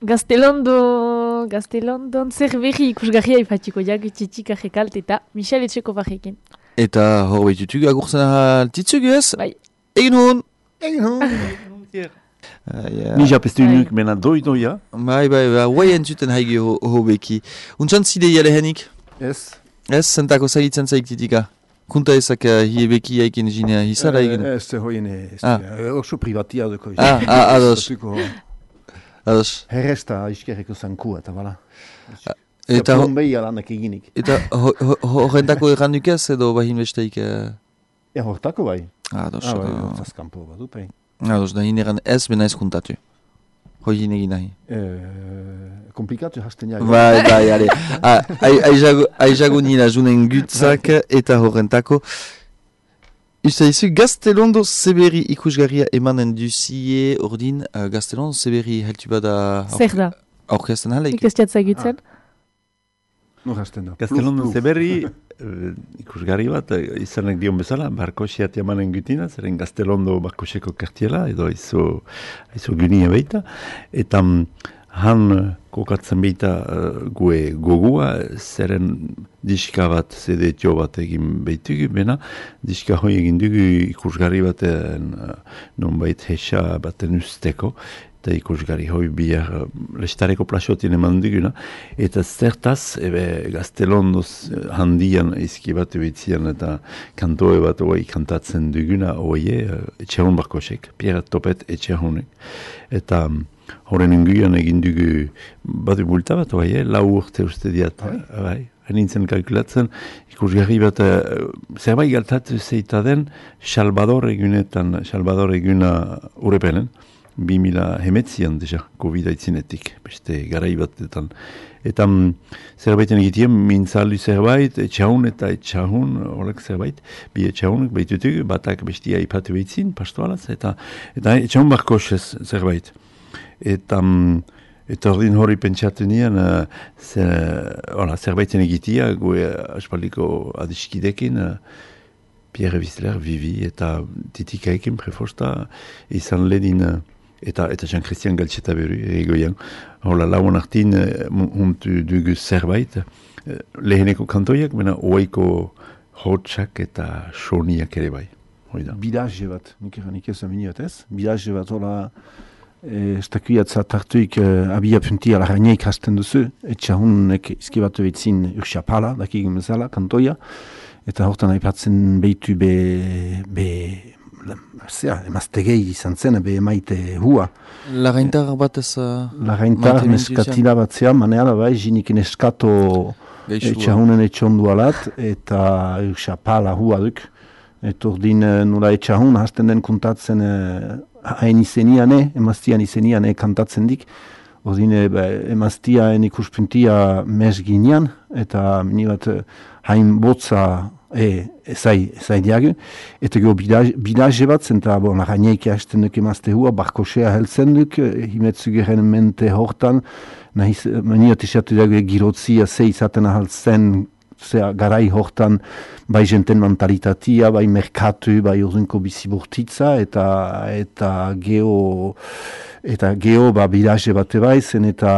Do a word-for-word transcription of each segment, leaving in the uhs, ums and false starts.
Gaztelondo, Gaztelondon zer berri ikusgarria ifatiko jak txitik ajekalt eta Michel Etxeko barrekin. Eta hor behitutuk agurzen altitzugu ez? Bai. Egin hon! Egin hon! Ni japestu nuk mena doi-doia. Bai, bai, bai, guai entzuten haigi hobeki. Untsan zide jalehenik? Ez. Ez, zentako zagitzen zaik titika? Kunta ezak hiebeki haikin jinea hizara egin? Ez, hoien ez. Oso privatia duko. Ah, ah, ados. Ados. Herresta iskerreko zankua, eta bala. Eta plombei alanak eginik. Eta horrentako erranduk ez edo bahin besteik? Ja, hortako bai. Ados. Ah, bai, hortaz kanpo bat dupein. Ados, da hineran ez bena ez kuntatu. Hoi hinegin nahi. Komplikatu hasten jago. Bai, bai, ale. Aizago nila junen gutzak eta horrentako. Usta izu, Gaztelondo Zeberi ikusgarria emanen duzie ordin, uh, Gaztelondo Zeberi heltu bada... Zer da? Aurkezten hala? Ikestiatza egitzen? Nur hasten da. Gaztelondo Zeberi ikusgarri bat, izanek dion bezala, barkosiat emanen gutina, zeren Gaztelondo barkoseko kartiela, edo izo, izo gunia beita, eta han kokatzen beita uh, gue gogua, zeren diska bat, zede tio bat egin behitugu, bena, diska hoi egin dugu ikusgarri baten uh, nonbait hesa baten usteko, eta ikusgarri hoi bihar uh, lestareko plasotien eman duguna, eta zertaz, ebe Gaztelondoz handian izki bat ebitzian eta kantoe bat hoi kantatzen duguna, hoi uh, etxehon barkosek, Pierre Topet etxehonek, eta um, horren inguian egin dugu badu bulta bat, bai, lau urte uste diat, bai, hanintzen kalkulatzen, ikusgarri bat, uh, zerbait galtatu zeita den, Salvador egunetan, Salvador eguna urepenen, bi mila hemetzian deja, COVID aitzinetik, beste garai batetan. Eta um, zerbaiten egitien, mintzalu zerbait, etxahun eta etxahun, horrek zerbait, bi etxahunek behitutuk, batak bestia ipatu behitzin, pastoalaz, eta, eta etxahun barkosez zerbait. Eta, eta ordin hori pentsatu nian, uh, zer, ola, zerbaiten egitia, gue aspaldiko adiskidekin, uh, Pierre Wissler, Vivi, eta titikaekin prefosta, izan ledin, uh, eta eta Jean-Christian Galtxeta beru, egoian. Hola, lauan artin, uh, huntu dugu zerbait, uh, leheneko kantoiak, bena oaiko hotxak eta soniak ere bai. Bidaje bat, nik eranik ez aminiat ez, bidaje bat, hola, estakuiatza tartuik abia puntia laraineik hasten duzu, etxahunek izkibatu behitzin urxapala, dakik bezala, kantoia, eta hortan aipatzen behitu be, be, zera, emaztegei izan zen, be emaite hua. Laraintar bat ez... Laraintar neskatila bat zea, maneala bai, jinik neskato etxahunen etxondu alat, eta urxapala hua duk. Eta ordin nula etxahun hasten den kontatzen hain izeniane, emaztian izeniane kantatzen dik. Ordin emaztiaen ikuspuntia mes ginean, eta mini bat hain botza e, ezai, ezai diagu. Eta gero bidaje bat, zenta bon, araineik hasten duk emazte hua, barkosea heltzen duk, himetzugeren mente hortan, nahiz, mini bat isatu diagu girotzia ze izaten ahaltzen, zera garai hortan bai jenten mentalitatia, bai merkatu, bai urduko bizibortitza, eta eta geho eta geho ba bidaje bate bai zen, eta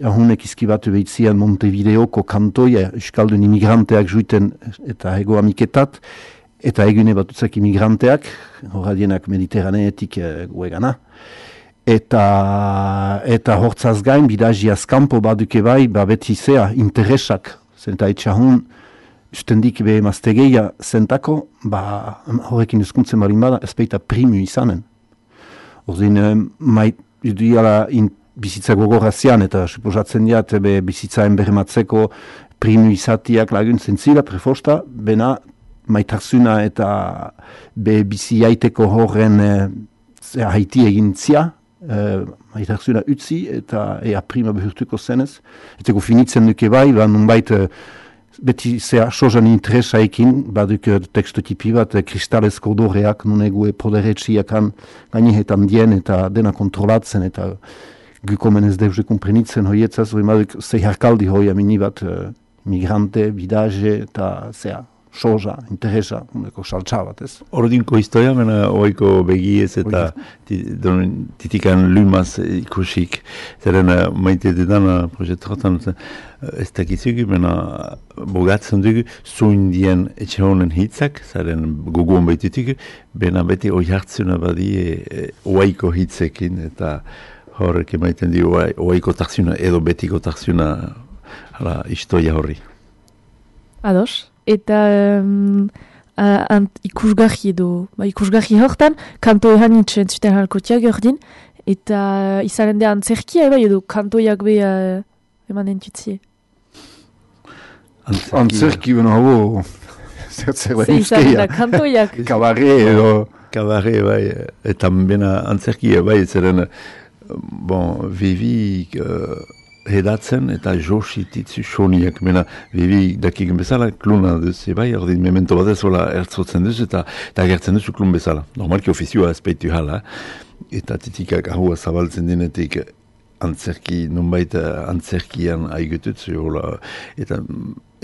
ahunek izkibatu behitzian Montevideoko kantoia, euskaldun imigranteak juiten eta ego amiketat, eta egune batutzak imigranteak, horradienak mediterraneetik e, guegana. Eta, eta hortzaz gain, bidajiaz kanpo baduke bai, ba beti zea, interesak, zenta etxahun, ustendik be emaztegeia zentako, ba, horrekin eskuntzen marin bada, ezpeita primu izanen. Ordin, mait, iduiala bizitza gogorazian, eta suposatzen diat, be bizitzaen bermatzeko primu izatiak laguntzen zila, prefosta, bena, maitarzuna eta be bizi jaiteko horren e, haiti egin zia, Uh, maitarzuna utzi eta ea prima behurtuko zenez. Eta finitzen duke bai, ba nunbait uh, beti zea sozan interesaekin, baduk uh, tekstotipi bat, uh, kristalezko doreak, nunegue poderetxiakan gainehetan dien eta dena kontrolatzen eta gukomen ez deuze komprenitzen hoietzaz, hori baduk zei harkaldi hoi amini bat uh, migrante, bidaje eta zea soza, interesa, uneko saltza bat, ez? Ordinko historia, mena oiko begiez eta titikan lumaz ikusik. Zeren maite dudan proiektotan, ez dakizugu, mena bogatzen dugu, zuindien etxe honen hitzak, zaren gogoan baitutugu, bena beti oi hartzuna badie oaiko hitzekin, eta horrek emaiten du oaiko tarzuna edo betiko tarzuna hala historia horri. Ados. Eta um, uh, ikusgarri edo, ba, ikusgarri hortan, kanto ehan itxen zuten halkotiak ordin, eta uh, izaren da antzerkia eba edo kantoiak be uh, eman entutzie. Antzerki beno habo, zertzer bai euskeia. Kantoiak. Kabarre edo. Kabarre bai, eta bena antzerki bai, zeren, bon, vivi... Uh, hedatzen eta josititzu soniak, mena bibi dakigen bezala, kluna duzu, bai, ordin memento bat ez hola ertzotzen duzu eta eta agertzen duzu klun bezala. Normalki ofizioa ezpeitu hala, eta titikak ahua zabaltzen denetik antzerki, nonbait antzerkian aigututzu, hola, eta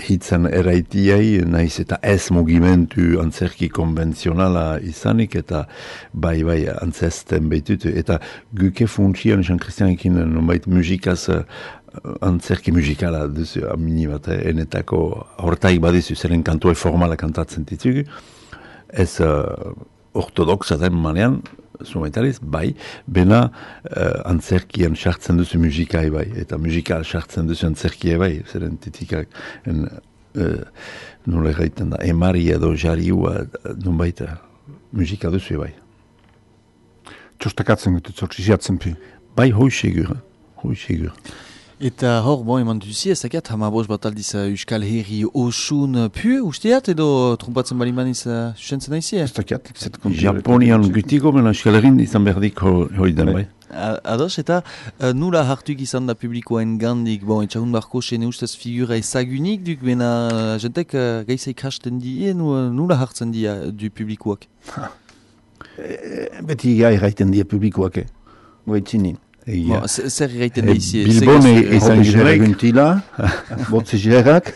hitzen eraitiai, naiz eta ez mugimentu antzerki konvenzionala izanik, eta bai, bai, antzesten beitutu, eta guke funtsian, Jean Christianekin, nonbait musikaz, antzerki musikala duzu, amini bat, eh, enetako hortaik badizu, zeren kantua formala kantatzen ditugu, ez uh, ortodoxa den manean, zumaitariz, bai, bena uh, antzerkian sartzen duzu musikai bai, eta musikal sartzen duzu antzerkia bai, zeren titikak, en, uh, nola gaiten da, emari edo jariua, nun baita, musika duzu bai. Txostakatzen gutu, zortziziatzen pi. Bai, hoi segur, hoi segur. Eta hor, bon, eman duzi, ez dakiat, hamabos bat aldiz uh, Euskal Herri osun pu, usteat, edo trumpatzen bali maniz uh, susentzen aizi? Ez dakiat, ez dakiat. Japonian gutiko, mena Euskal Herrin izan berdik hori den, bai. Ados, eta uh, nula hartuk izan da publikoen gandik, bon, etxahun barko sene ustez figura ezagunik, duk, bena uh, jentek uh, gaisa ikasten die, nula hartzen dia du publikoak? E, beti gai gaiten dia publikoak, eh? Goitzinin. Bon, zer gaiten da izi? Bilbone izan ginelaik. Botze jirerak.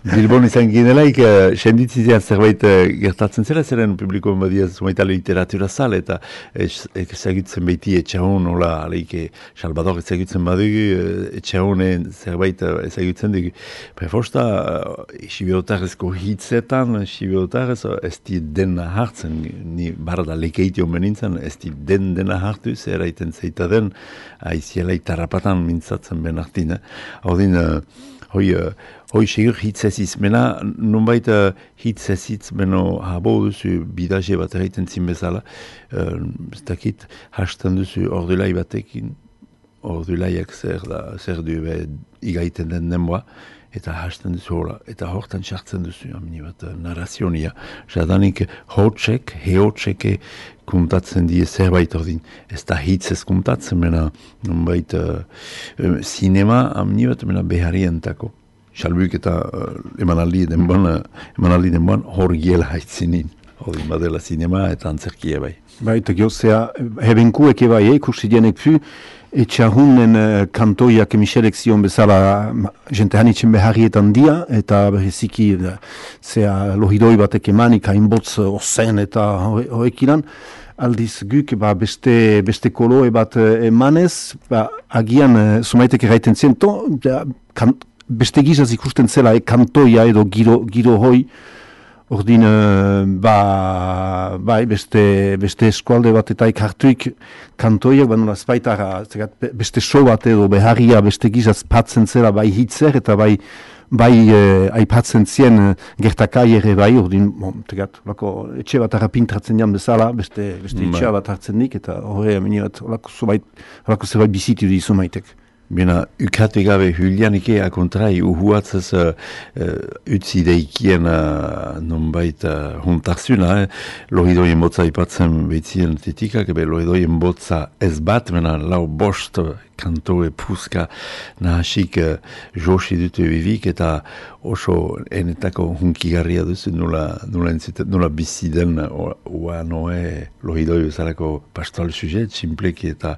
Bilbone izan ginelaik, senditzizia zerbait gertatzen zela, zeren publikoen badia zumaita literatura zale, eta ezagutzen behiti etxahun, hola, aleike, Salvador ezagutzen badugu, etxahunen zerbait ezagutzen dugu. Prefosta, Sibiotarrezko hitzetan, Sibiotarrez, ez di dena hartzen, ni barda lekeitio menintzen, ez di den dena hartu, zer aiten zeita den, aiziela itarrapatan mintzatzen ben hartin. Hau din, hoi, hoi segur hitzeziz, mena nonbait hitzeziz, beno habo duzu bidaje bat erraiten zin bezala, ez dakit, hasten duzu ordulai batekin, ordulaiak zer da, zer du be, igaiten den denboa, eta hasten duzu hola, eta hortan sartzen duzu, amini bat, narrazionia. Jadanik, hotsek, heotseke kuntatzen die zerbait ordin. Ez da hitzez kuntatzen, mena, nonbait, uh, sinema, amini bat, mena, beharientako. Salbuik eta uh, emanaldi denboan, uh, emanaldi denboan, hor giela haitzinin. Ordin badela sinema eta antzerkia bai. Bai, eta gehozea, hebenkuek ebai, ikusi dienek fu, etxahunen uh, kantoiak Michelek zion bezala jente hanitzen beharrietan dia, eta bereziki uh, zea lohidoi batek emanik, hainbotz ozen eta horrek ilan, aldiz guk ba, beste, beste koloe bat emanez, ba, agian uh, sumaitek erraiten zien, to, ja, kan, beste gizaz ikusten zela e, kantoia edo giro, giro hoi, ordin, uh, ba, bai, beste, beste eskualde bat eta ikartuik kantoiak, ba, nola espaitara, beste so bat edo beharria beste gizaz patzen zela bai hitzer eta bai, bai eh, aipatzen zien eh, gertakai ere bai, ordin, bon, tegat, lako, etxe bat harrapintratzen jan bezala, beste, beste etxea bat hartzen nik, eta horre, amini bat, lako zerbait bizitu dizu maitek. Bena, ukatu gabe Julianike akontrai uhuatzez uh, uh, utzi deikien uh, nonbait uh, huntarzuna, eh? Lohidoien botza ipatzen behitzien titikak, ebe lohidoien botza ez bat, mena lau bost kanto e puska nahasik uh, josi dute bivik, eta oso enetako hunkigarria duzu, nula, nula, nula bizi den oa noe lohidoi bezalako pastoral sujet, simpleki eta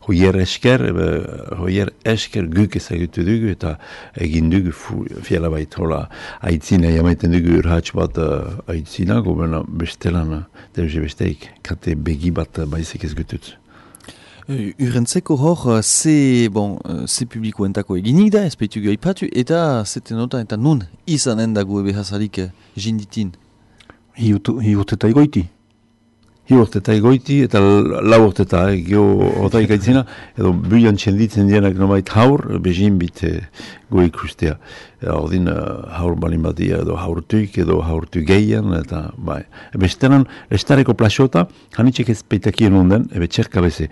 hoier esker, ebe, hoier esker guk ezagutu dugu eta egin dugu fiala bait hola aitzina jamaiten dugu urhatx bat uh, aitzina, gobena bestelan deuze besteik kate begi bat baizik ez gututz. Urentzeko hor, ze, bon, ze publikoentako eginik da, ezpeitu gaipatu, eta zeten nota eta nun izanen dago behazalik jinditin? Hiurteta egoiti. Hiurteta egoiti eta lau urteta, eh, geho otaik aitzina, edo buian txenditzen dienak nomait haur, bezin bite go ikustea. Ordin uh, haur balin badia edo haurtuik edo haurtu geian, eta bai. Bestenan, estareko plasota, hanitxek ez peitakien onden, ebe txerka beze.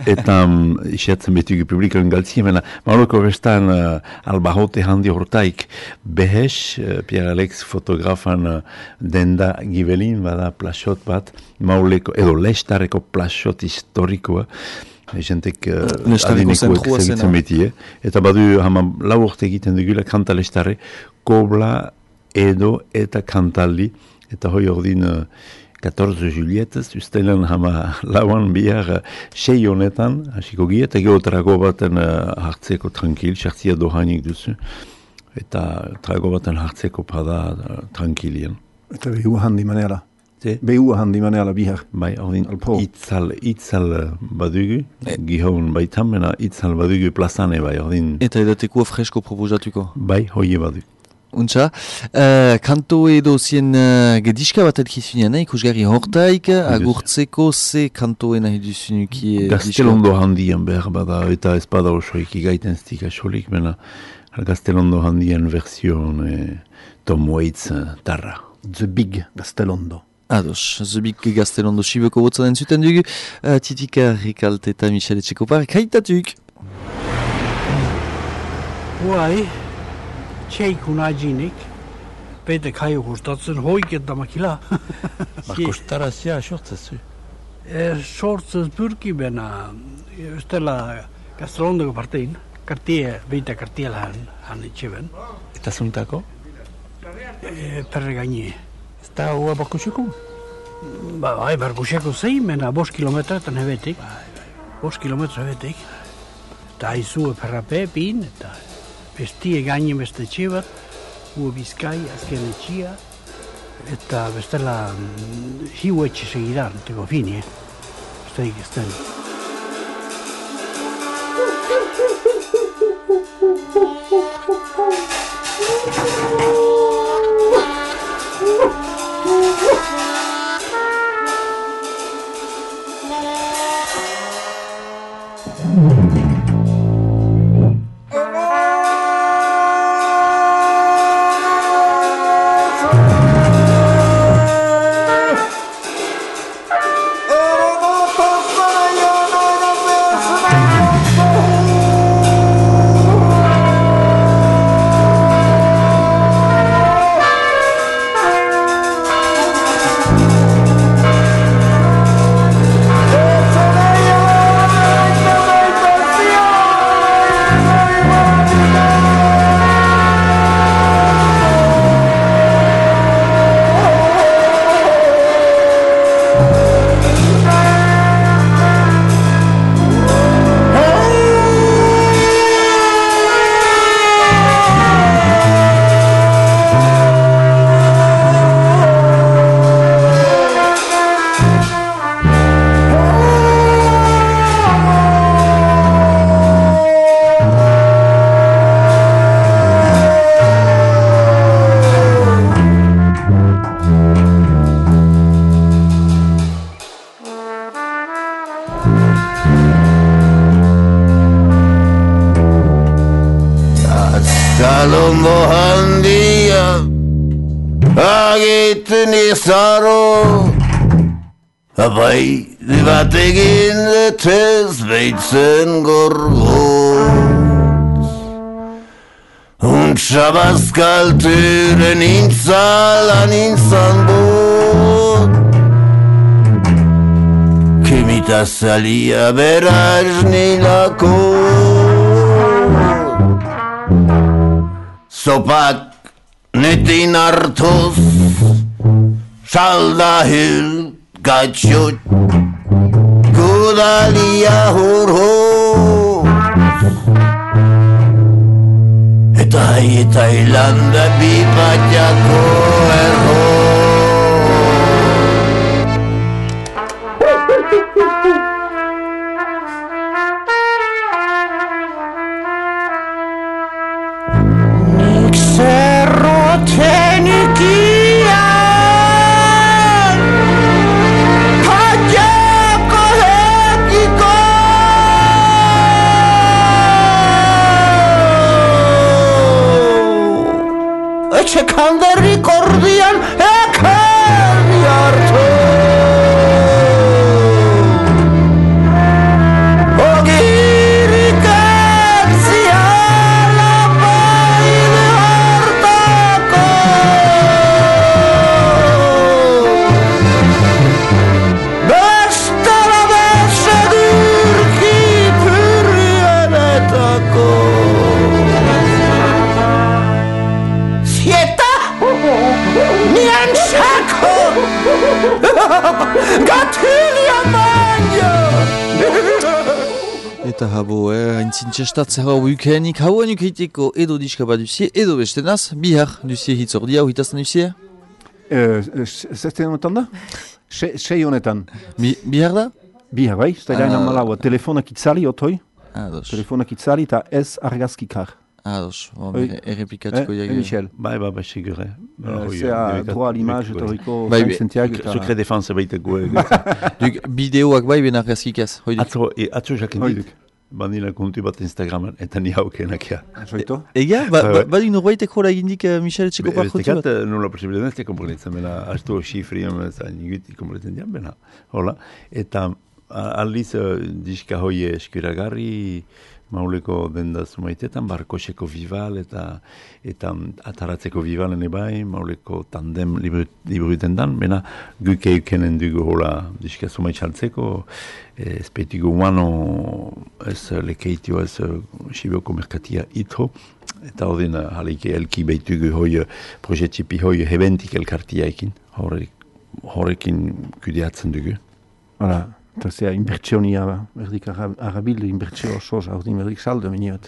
Eta um, isiatzen betugu publikoen galtzien, mena, mauroko bestan uh, albahote handi hortaik behes, uh, Pierre Alex fotografan uh, denda gibelin, bada plasot bat, mauleko, edo lestareko plasot historikoa, jentek uh, adinikoek segitzen beti, eh? Eta badu hama lau urte egiten dugula kanta lestarre, kobla, edo eta kantaldi, eta hoi ordin uh, catorze Julietez, usteilan hama lauan bihar sei honetan, hasiko gie, eta geho trago baten uh, hartzeko tranquil, sartzia dohanik duzu, eta trago baten hartzeko pada uh, tranquilien. Eta behu handi maneala. Behu handi maneala bihar. Bai, ordin, itzal, itzal badugu, e. Gihon baitan, mena itzal badugu plazane bai, ordin. Eta edateko fresko proposatuko? Bai, hoie badugu. Untxa, uh, kanto edo zien uh, gediska bat edkizunean, eh? Ikusgarri hortaik, agurtzeko ze kantoen nahi duzunuki uh, Gaztelondo handian behar bada, eta ez bada osoik igaiten stik asolik, mena Gaztelondo handian version eh, Tom Waits uh, tarra. The Big Gaztelondo. Ados, The Big Gaztelondo sibeko botzaren zuten dugu, uh, Titika Rikalte eta Michele Txekopar, kaitatuk! Huai, txeikun ajinik, pete kaio gustatzen hoiket damakila. Ma kostarazia sortzezu? E, sortzez pyrki bena, ystela Gaztelondoko partein, kartie, beita kartiela han, han itxeben. Eta zuntako? E, perre gaini. Ez da hua barkuseko? Ba, bai, barkuseko zein, mena bost kilometretan hebetik. Bost kilometra hebetik. Eta haizu perrape, pin, eta bestie gaini beste etxe bat, hu bizkai, azken etxia, eta bestela hiu etxe segidan, teko fini, eh? Besteik ez den. Gaztelondo handia agiten izaro, abai bat egin detez beitzen gorgotz. Untsa bazkalturen intzalan intzan bot, kimita zalia beraz nilako. Zopak netin hartuz, salda hil gatxot, gudalia hurhoz. Hawaii eta Irlanda bipatiako erro. Nik zerroten ikian patiako hekiko. Etxe kanderrik ordian ekerri hartu. Ogirik etziala baile hartako. Bestela besedurki pürrienetako. Nianchako Gatilia manja. Eta habo, eh, haintzin txestatze hau ukenik, hau anuk eiteko edo diska bat duzie, edo bestenaz, bihar duzie hitz ordia, hitazten duzie? Zeste honetan da? Sei honetan. Bihar da? Bihar, bai, zta gainan malaua. Telefonak itzali, otoi. Ados. Telefonak itzali eta ez argazkikar. Ados, errepikatuko Eh, jage. Michel. Bai, bai, bai, sigure. Zea, droit à l'image eta horiko Bai, cinq centiak eta... Secret defense baiteko. Duk, bideoak bai ben argazkikaz, hoidik. Atzo, e, atzo jakin diduk. Bandila kontu bat Instagraman, eta ni haukenakia. Zoito? Ega, ba, ba, badi norbaitek hola egindik uh, Michel etxeko parkotu Estekat, bat? nola posible ez te komprenitzen, bena, astu xifriam, eta niguti komprenitzen dian, bena, hola. Eta a- aldiz, uh, diska hoi eskuragarri, mauleko denda zumaitetan, barkoseko vival, eta eta ataratzeko vivalen ebai, mauleko tandem liburuten dan, bena, guke eukenen dugu hola diska zumaitxaltzeko, ez petigo uano, ez lekeitio, ez xiboko merkatia itho, eta odin halike elki beitugu hoi projettipi hoi hebentik elkartia ekin, horrekin kudeatzen dugu. Hala, eta zea inbertsionia, berdik arabil inbertsio osoz, hau din berdik saldo miniot.